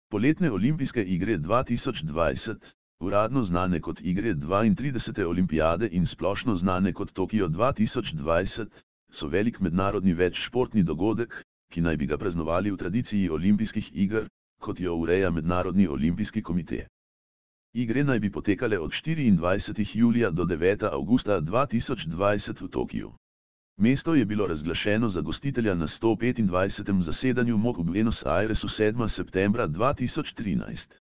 Poletne olimpijske igre 2020, uradno znane kot igre 32. olimpijade in splošno znane kot Tokio 2020, so velik mednarodni večšportni dogodek, ki naj bi ga praznovali v tradiciji olimpijskih iger, kot jo ureja Mednarodni olimpijski komite. Igre naj bi potekale od 24. julija do 9. avgusta 2020 v Tokiu. Mesto je bilo razglašeno za gostitelja na 125. zasedanju MOK v Buenos Airesu 7. septembra 2013.